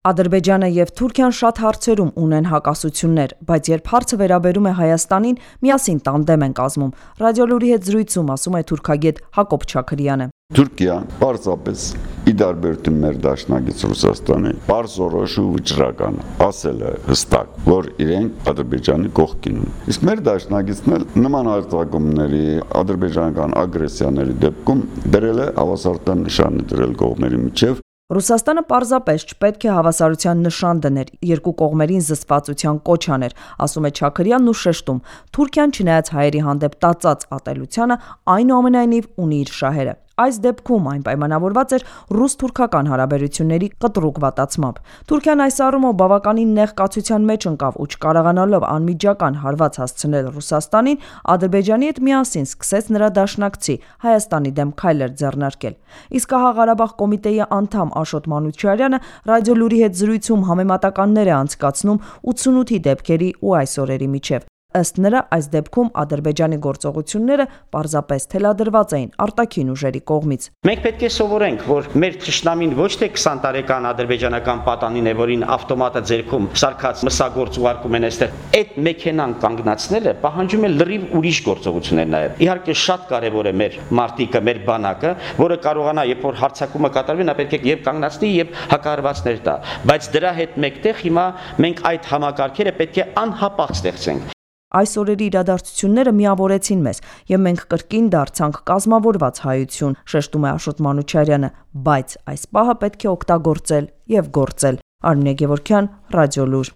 Ադրբեջանը և Թուրքիան շատ հարցերում ունեն հակասություններ, բայց երբ հարցը վերաբերում է Հայաստանին, միասին տանդեմ են կազմում։ Ռադիոլուրի հետ զրույցում ասում է թուրքագետ Հակոբ Չաքրյանը։ Թուրքիան պարզապես ի տարբերություն մեր դաշնակից Ռուսաստանի պարզորոշ ու վճռական ասել է հստակ, որ իրենք Ադրբեջանի կողքին են։ Իսկ մեր դաշնակիցն էլ նման արձակումների, ադրբեջանական ագրեսիաների դեպքում դրել է հավասարության նշան դրել կողմերի միջև։ Ռուսաստանը պարզապես չպետք է հավասարության նշան դներ, երկու կողմերին զսպվածության կոչ աներ, ասում է Չաքրյանն ու շեշտում. Թուրքիան չնայած հայերի հանդեպ տածած ատելությանը, այնուամենայնիվ ունի իր շահերը։ Այս դեպքում այն պայմանավորված էր ռուս-թուրքական հարաբերությունների կտրուկ վատացմամբ։ Թուրքիան այս առումով բավականին նեղ կացության մեջ ընկավ ու չկարողանալով անմիջական հարված հասցնել Ռուսաստանին, Ադրբեջանի հետ միասին սկսեց նրա դաշնակցի Հայաստանի դեմ քայլեր ձեռնարկել։ Իսկ ահա Ղարաբաղ կոմիտեի անդամ Աշոտ Մանուչարյանը Ռադիոլուրի հետ զրույցում համեմատականներ է անցկացնում 88-ի դեպքերի ու այս օրերի միջև։ Ըստ նրա, այս դեպքում Ադրբեջանի գործողությունները պարզապես թելադրված էին արտաքին ուժերի կողմից։ Մենք պետք է սովորենք, որ մեր թշնամին ոչ թե 20 տարեկան ադրբեջանական պատանին է, որին ավտոմատը ձեռքում սարքած մսագործ ուղարկում են այստեղ։ Այդ մեքենան կանգնացնելը պահանջում է լրիվ ուրիշ գործողություններ նաև։ Իհարկե շատ կարևոր է մեր մարտիկը, մեր բանակը, որը կարողանա, երբ որ հարձակումը կատարվի, նա պետք է եւ կանգնացնի եւ հակահարվածներ տա։ Բայց դրա հետ մեկտեղ հիմա մենք այդ համակարգերը պետք է անհապաղ ստեղծենք։ Այս օրերի իրադարձությունները միավորեցին մեզ, եւ մենք կրկին դարձանք կազմավորված հայություն, շեշտում է Աշոտ Մանուչարյանը, բայց այս պահը պետք է օգտագործել եւ գործել։ Արմինե Գևորգյան, Ռադիոլուր։